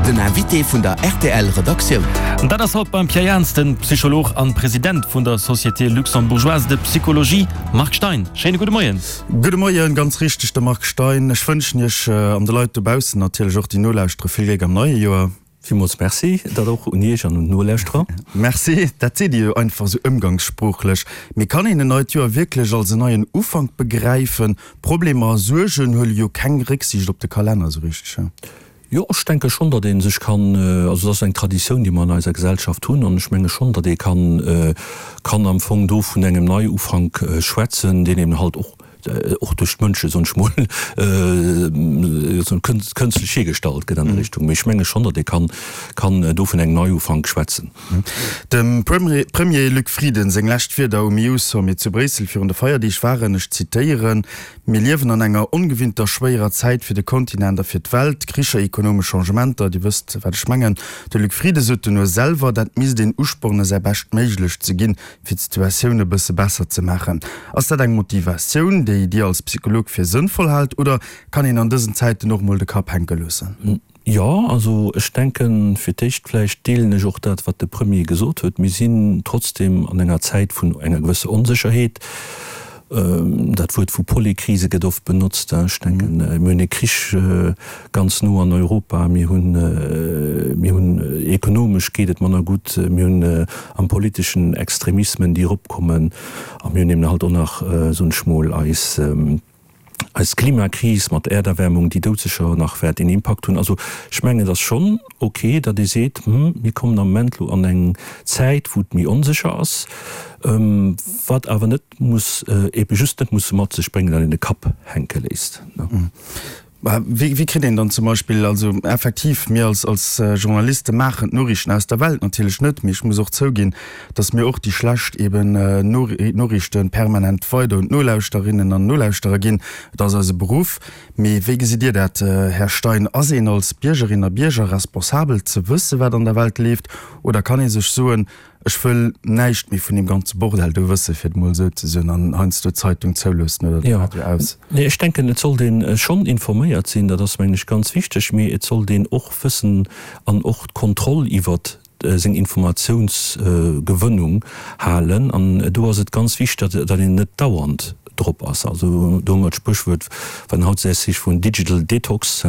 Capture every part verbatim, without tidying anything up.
Den Invité vun der R T L Redaktioun. Dat ass haut beim Pierre Jans den Psycholog an President vun der Société Luxembourgeoise de Psychologie, Marc Stein. Schéine gudde Moien. Gudde Moien, ganz richteg, de Marc Stein. Ech wënschen Iech an de Leit dobaussen natierlech och déi nolauschtere vill Gléck am neie Joer. Villmools Merci, dat och un Iech an un d'Nolauschterer. Merci. Dat seet Dir jo einfach esou ëmgangssproochlech. Mee kann een en neit Joer wierklech als en neien Ufank begräifen? Problemer a Suergen huele jo keng Récksiicht op de Kalenner esou richteg. Jo, ech denke schonn, datt ee sech kann, also dat ass eng Traditioun, déi mer an eiser Gesellschaft hunn, an ech menge schonn, datt ee kann, kann am Fong do vun engem Neiufank schwätzen, deen eben halt och, och duerch d'Mënsche, soen ech mol, kënstlech hiergestallt gëtt an der Richtung. Mee ech menge schonn, datt ee kann, kann do vun engem Neiufank schwätzen. Dem Premier Luc Frieden seng lescht Wierder um E U-Sommet zu Bréissel virun de Feierdeeg waren, ech zitéieren, Mir liewen an enger ongewinnter schwéierer Zäit fir de Kontinent a fir d'Welt, Kricher, ekonomesch Changementer, Dir wësst wat ech mengen. De Luc Frieden sot duerno selwer, dat misst een uspornen, säi Bescht méiglech ze ginn, fir d'Situatioun e bësse besser ze maachen. Ass dat eng Motivatioun, déi Dir als Psycholog fir sënnvoll haalt, oder kann een an dësen Zäiten och mol de Kapp hänke loossen? Jo, also ech denken, fir d'éischt vläicht deelen ech och dat, wat de Premier gesot huet, Mir sinn trotzdem an enger Zäit vun enger gewësser Onsécherheet. Dat Wuert vu Polykrise gëtt oft benotzt. Ech denken, mir hunn e Krich ganz no an Europa, mir hunn, mir hunn ekonomesch geet et manner gutt, mir hunn am politeschen Extremismen, déi eropkommen, a mir hunn eben halt och nach, soen ech mol, eis, eis Klimakris mat der Äerderwärmung, déi doudsécher nach wäert een Impakt hunn. Also ech mengen, et ass schonn ok, datt ee seet, Hm, mir kommen am Moment elo an eng Zäit, wou et méi onsécher ass, wat awer net muss, ebe just net muss mat sech bréngen, datt een de Kapp hänke léisst. Wéi, wéi kritt een dann zum Beispill, also effektiv, mir als, als Journaliste maachen d'Noriichten aus der Welt natierlech net, mee ech muss och zouginn, datt mir och déi schlecht eben Noriichte permanent weider un d'Nolauschterinnen an Nolauschterer ginn. Et ass eise Beruff. Mee wéi gesitt Dir dat, Här Stein? Ass een als Biergerin a Bierger responsabel ze wësse wat an der Welt leeft oder kann ee sech soen, ech wëll näischt méi vun deem ganze Bordell do wësse, fir et mol esou ze soen, an heiansdo d'Zeitung zouloossen oder de Radio aus? Nee, ech denken, et sollt ee schonn informéiert sinn, dat ass, mengen ech, ganz wichteg, mee et sollt een och wëssen an och d'Kontroll iwwert seng Informatiounsgewënnung halen. An do ass et ganz wichteg, datt een net dauernd drop ass. Also do hu mer d'Spréchwuert, wat hautdesdaags heescht, vun Digital Detox,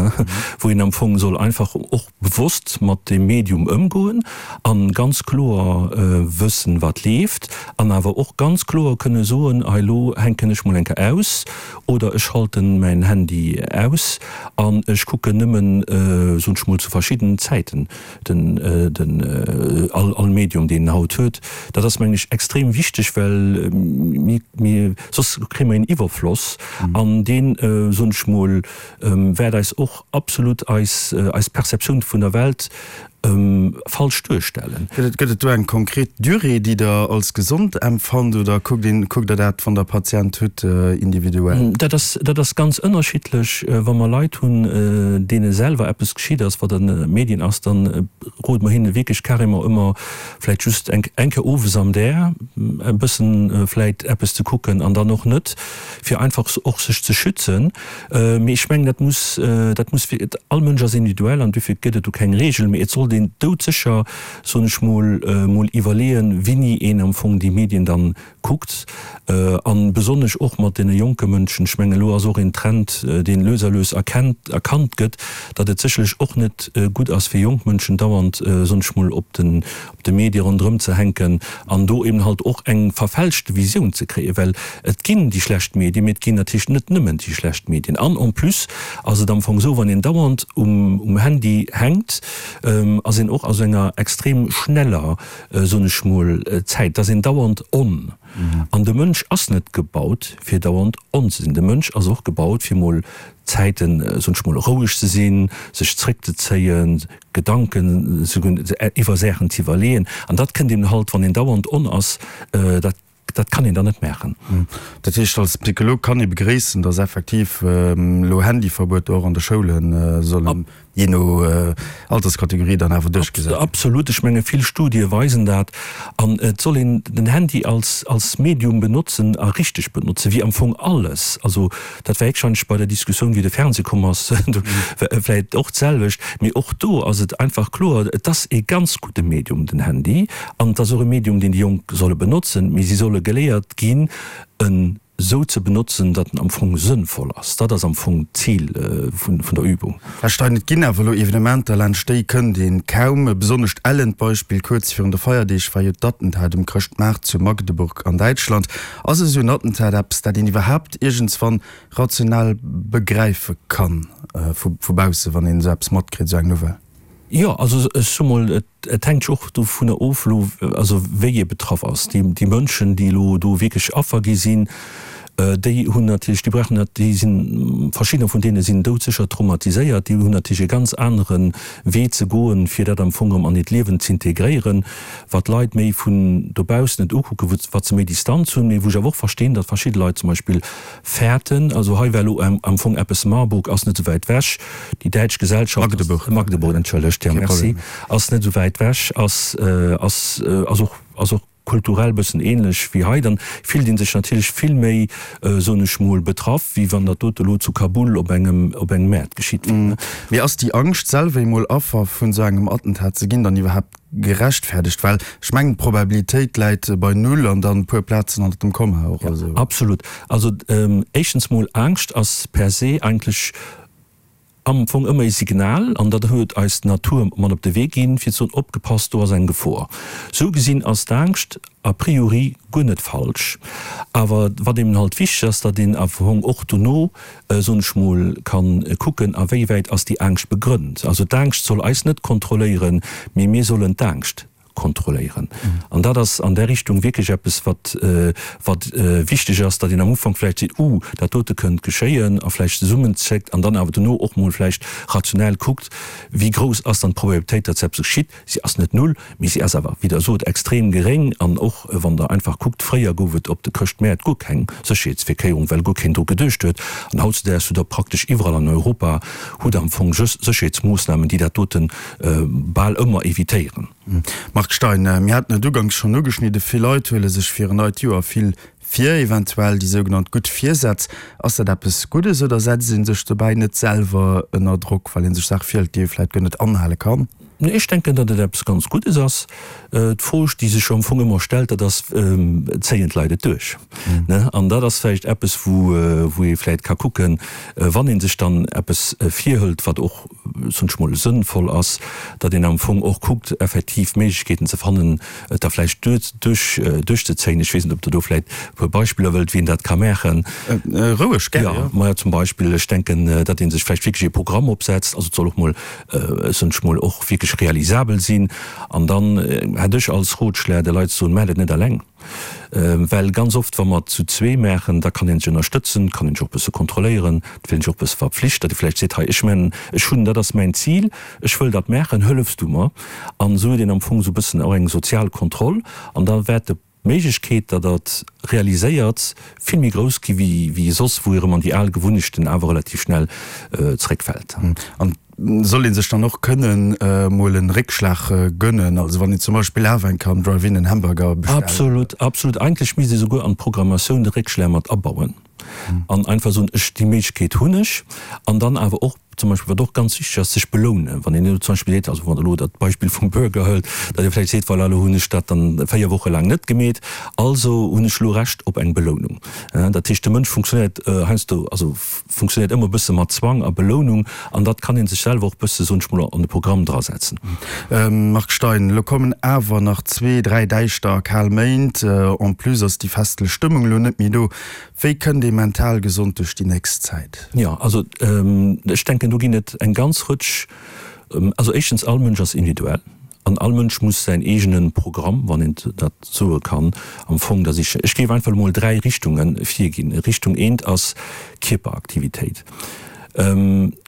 wou een am Fong soll einfach och bewosst mat deem Medium ëmgoen a ganz kloer wëssen, wat leeft, an awer och ganz kloer kënne soen, hei elo hänken ech mol eng Kéier aus oder ech schalten mäin Handy aus an ech kucken nëmmen, soen ech mol, zu verschiddenen Zäiten den, den all, all Medium, deen een haut huet. Dat ass, mengen ech, extrem wichteg, well mir, mir, soss kréie mer een Iwwerfloss an deen, soen ech mol, wäert eis och absolut eis, eis Perceptioun vun der Welt falsch duerstellen. Gëtt et, gëtt et do eng konkret Durée, déi Der als gesond empfannt oder kuckt een, kuckt Der dat, wann Der Patient hutt, individuell? Dat ass, dat ass ganz ënnerschiddlech. Wa mer Leit hunn, deene selwer eppes geschitt ass, wat an de Medien ass, dann rode mer hinne wierklech carrément ëmmer, vläicht just eng, eng Kéier owes am Där e bëssen vläicht eppes ze kucken an dann och net, fir einfach och sech ze schützen. Mee ech mengen, dat muss, dat muss, all Mënsch ass individuell an dofir gëtt et do keng Regel, mee et sollt een doudsécher, soen ech mol, mol iwwerleeën, wéini een am Fong déi Medien dann kuckt, an besonnesch och mat deene jonke Mënschen. Ech mengen, elo ass och een Trend, deen lues a lues erkennt, erkannt gëtt, datt et sécherlech och net gutt ass fir jonk Mënschen dauernd, soen ech mol, op den, op de Medie ronderëm ze hänken an do eben halt och eng verfälschte Visioun ze kréien, well et ginn déi schlecht Medien, mee et ginn natierlech net nëmmen déi schlecht Medien. An en plus ass et am Fong esou, wann een dauernd um, um Handy hänkt, ass een och a sou enger extrem schneller, soen ech mol, Zäit, et ass een dauernd on. An de Mënsch ass net gebaut, fir dauernd on ze sinn. De Mënsch ass och gebaut, fir mol Zäiten, soen ech mol, roueg ze sinn, sech zréckzezéien, Gedanken iwwer Saachen ze iwwerleeën. An dat kënnt eben halt, wann een dauernd on ass, dat, dat kann een dann net maachen. Dat heescht, als Psycholog kann ee begréissen, datt effektiv elo Handyverbueter och an de Schoule solle jee no Alterskategorie dann awer duerchgesat ginn. Absolut, ech menge vill Studie weisen dat. An et soll een den Handy als als Medium benotzen a richteg benotzen, wéi am Fong alles. Also dat war wahrscheinlech bei der Diskussioun, wéi de Fernseh komm ass, vläicht och d'selwecht. Mee och do ass et einfach kloer, et ass ee ganz gudde Medium, den Handy, an et ass och e Medium, deen déi Jonk solle benotzen, mee si solle geléiert ginn, en esou ze benotzen, datt en am Fong sënnvoll ass. Dat ass am Fong d'Zil vun der Übung. Här Stein, et ginn awer elo Evenementer, laanscht déi kënnt een kaum. E besonnescht ellent Beispill, Kuerz virun de Feierdeeg war jo d'Attentat um Chrëschtmaart zu Magdeburg an Däitschland. Ass esou en Attentat eppes, dat een iwwerhaapt iergendswann rational begräife kann vu bausse, wann een esou eppes matkritt, esou eng Nouvelle? Jo, also ech soe mol, et hänkt jo och dovunner of elo, also wéi ee betraff ass. Déi, déi Mënschen, déi elo do wierklech Affer gi sinn, déi hunn natierlech, déi brauchen dat, déi sinn, verschiddener vun deene sinn doudsécher traumatiséiert, déi hunn natierlech e ganz anere Wee ze goen, fir dat am Fong erëm an hiert Liewen z'integréieren, wat Leit méi vun dobaussen et ukucken, wou, wat se méi Distanz hunn, mee wou ech awer och verstinn, datt verschidde Leit zum Beispill fäerten. Also hei war elo am Fong eppes, Marburg ass net esou wäit wech, déi däitsch Gesellschaft ass, Magdeburg. Magdeburg, entschëllegt, jo, merci, ass net esou wäit wech, ass, ass, ass och, ass och kulturell bëssen ähnlech wéi hei. Dann fillt ee sech natierlech vill méi, soen ech mol, betraff, wéi wann dat dote elo zu Kabul op engem, op engem Maart geschitt wier. Mee ass déi Angscht, selwer emol Affer vun esou engem Attentat ze ginn, dann iwwerhaapt gerechtfertegt? Well ech mengen, d'Probabilitéit läit bei null an dann e puer Plazen hannert dem Komma och. Ja, absolut. Also éischtens mol, Angscht ass per se eigentlech am Fong ëmmer e Signal, an dat huet eis d'Natur mat op de Wee ginn, fir ze soen, opgepasst, do ass eng Gefor. Sou gesinn ass d'Angscht a priori guer net falsch. Awer wat eben halt wichteg ass, datt een am Fong och dono, soen ech mol, ka kucken, a wéi wäit ass déi Angscht begrënnt. Also d'Angscht soll eis net kontrolléieren, mee mir sollen d'Angscht kontrolléieren. An dat ass an där Richtung wierklech eppes, wat wat wichteg ass, datt een am Ufank vläicht seet, Uh, dat dote kënnt geschéien, a vläicht zesummenzéckt an dann awer dono och mol vläicht rationell kuckt, wéi grouss ass dann d'Probabilitéit, datt eppes geschitt. Si ass net null, mee si ass awer, wéi Der sot, extrem geréng. An och wann Der einfach kuckt, fréier gouf et op de Chrëschtmäert guer keng Sécherheetsvirkéierung, well guer keen dru geduecht huet. An hautzedaags hutt Der praktesch iwwerall an Europa hutt Der am Fong Sécherheetsmoossnamen, déi dat dote bal ëmmer evitéieren. Marc Stein, Mir haten et uganks schonn ugeschnidde, vill Leit huele sech fir en neit Joer vill vir, eventuell déi sougenannt gutt Virsätz. Ass dat eppes Guddes oder setzt ee sech dobäi net selwer ënner Drock, well ee sech Saache virhëlt, déi ee vläicht guer net anhale kann? Nee, ech denken, datt et eppes ganz Guddes ass. D'Fro, déi sech am Fong ëmmer stellt, dat ass, Zéien d'Leit et duerch? An dat ass vläicht eppes, wou ee vläicht ka kucken, wann ee sech dann eppes virhëlt, wat och, soen ech mol, sënnvoll ass, datt een am Fong och kuckt, effektiv Méiglechkeeten ze fannen, et da vläicht duerch, duerchzezéien. Ech weess net, ob Der do vläicht e puer Beispiller wëllt, wéi een dat ka maachen. Roueg, gär, jo. Majo, zum Beispill, ech denken, datt ee sech vläicht wierklech ee Programm opsetzt, also et soll och mol, soen ech mol, och wierklech realisabel sinn. An dann hätt ech als Rotschlag de Leit ze soen, Maacht et net eleng. Well ganz oft, wa mer et zu zwee maachen, da kann ee sech ënnerstëtzen, kann ee sech och e bësse kontrolléieren, et fillt een sech och e bësse verpflicht, datt ee vläicht seet, hei, ech man, ech hunn, dat ass mäin Zil, ech wëll dat maachen, hëllefs du mer? An esou huet een am Fong esou e bëssen och eng sozial Kontroll an da wäert de d'Méiglechkeet, datt Der et realiséiert, vill méi grouss gi wéi soss, wou ee erëm an déi al Gewunnechten awer relativ schnell zeréckfält. An soll ee sech dann och kënnen mol en Réckschlag gönnen, also wann een zum Beispill awer eng Kéier am Drive-In en Hamburger bestellt? Absolut, absolut. Eigentlech misst ee souguer an d'Programmatioun de Réckschlag mat abauen an einfach soen, ech, déi Méiglechkeet hunn ech. An dann awer och zum Beispill, wat och ganz wichteg ass, sech belounen. Wann een elo zum Beispill seet, also wann Der elo dat Beispill vum Burger hëlt, datt Dir vläicht seet, voilà, elo hunn ech dat dann véier Woche laang net gemeet, also hunn ech elo Recht op eng Belounung. Dat heescht, de Mënsch funktionéiert heiansdo, also funktionéiert ëmmer e bësse mat Zwang a Belounung an dat kann ee sech selwer och e bësse, soen ech mol, an de Programm drasetzen. Marc Stein, Elo kommen awer nach zwee, dräi däischter a kal Méint. En plus ass déi festlech Stëmmung elo net méi do. Wéi kënnt ee mental gesond duerch déi nächst Zäit? Jo, also ech denken, do ginn et eng ganz Rëtsch. Also éischtens, all Mënsch ass individuell an all Mënsch muss säin eegene Programm, wann een dat soe kann, am Fong da sichen. Ech géif einfach emol dräi Richtunge virginn. Richtung eent ass Kierperaktivitéit.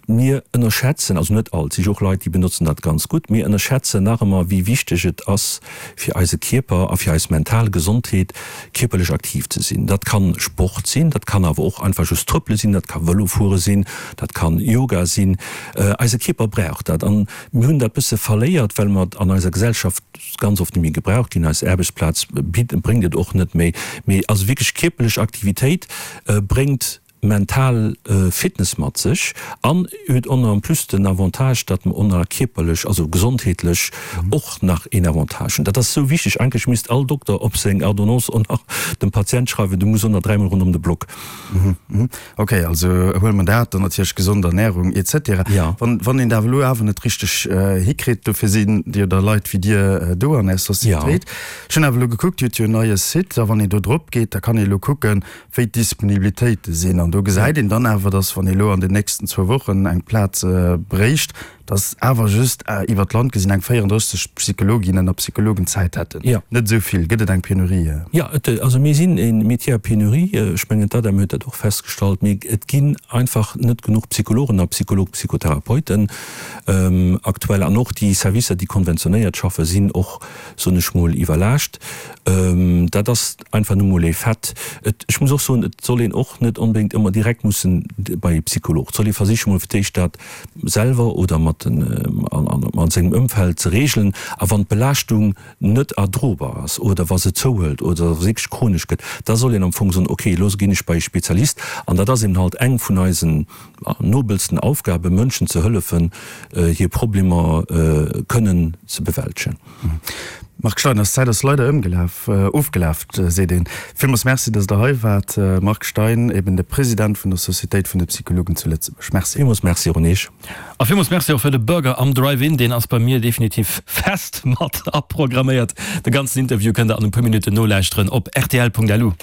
Mir ënnerschätzen, also net all, et si jo och Leit, déi benotzen dat ganz gutt, mir ënnerschätzen nach ëmmer, wéi wichteg et ass fir eise Kierper a fir eis mental Gesondheet, kierperlech aktiv ze sinn. Dat kann Sport sinn, dat kann awer och einfach just trëppele sinn, dat ka Vëlofuere sinn, dat kann Yoga sinn. Eise Kierper brauch dat an mir hunn dat bësse verléiert, well mer et an eiser Gesellschaft ganz oft net méi gebraucht ginn. Eis Aarbechtsplaz bréngt et och net méi. Mee also wierklech kierperlech Aktivitéit bréngt mental Fitness mat sech an huet och nach en plus den Avantage, datt mer och nach kierperlech, also gesondheetlech och nach een Avantage hunn. Dat ass esou wichteg. Eigentlech misst all Dokter op seng Ordonnance och nach dem Patient schreiwen, du muss och nach dräimol ronderëm de Block. Ok, also huele mer dat, dann natierlech gesond Ernährung et cetera. Wann, wann een dat elo awer net richteg hikritt, dofir sinn jo da Leit wéi Dir do an Är Societéit. Ech hunn awer elo gekuckt, Dir hutt jo en neie Site a wann een do drop geet, da kann ee elo kucken, wéi d'Disponibilitéite sinn. An do gesäit een dann awer, dass, wann ee elo an den nächsten zwou Wochen eng Plaz bréicht, dass awer just iwwer d'Land gesinn eng véierunddrësseg Psychologinnen a Psychologen Zäit hätten. Net esou vill. Gëtt et eng Penurie? Jo, et, also mir sinn e Métier à pénurie. Ech mengen, d'ADEM huet dat och festgestallt. Mee et ginn einfach net genuch Psychologen a Psychologen, Psychotherapeuten aktuell. An och déi Servicer, déi konventionéiert schaffen, sinn och, soen ech mol, iwwerlaascht. Dat ass einfach nu mol ee Fait. Et, ech muss och soen, et soll een och net onbedéngt ëmmer direkt mussen bei ee Psycholog. Et soll ee versiche mol fir d'éischt dat selwer oder mat den, an sengem Ëmfeld ze regelen. A wann d'Belaaschtung net erdrobar ass oder wa se zouhëlt oder wa se wierklech chronesch gëtt, da soll een am Fong soen, okay, elo ginn ech bei ee Spezialist. An dat ass eben halt eng vun eisen nobelsten Aufgaben, Mënschen ze hëllefen, hir Problemer kënnen ze bewältegen. Marc Stein, eis Zäit ass leider ëmgelaf, ofgelaf, seet een. Villmools Merci, dass Der hei waart, Marc Stein, eben de President vun der Societéit vun de Psychologen zu Lëtzebuerg. Merci. Villmools Merci och un Iech. A villmools Merci och fir de Burger am Drive-In, deen ass bei mir definitiv fest mat aprogramméiert. De ganzen Interview kënnt Der an e puer Minutten nolauschteren op rtl Punkt lu.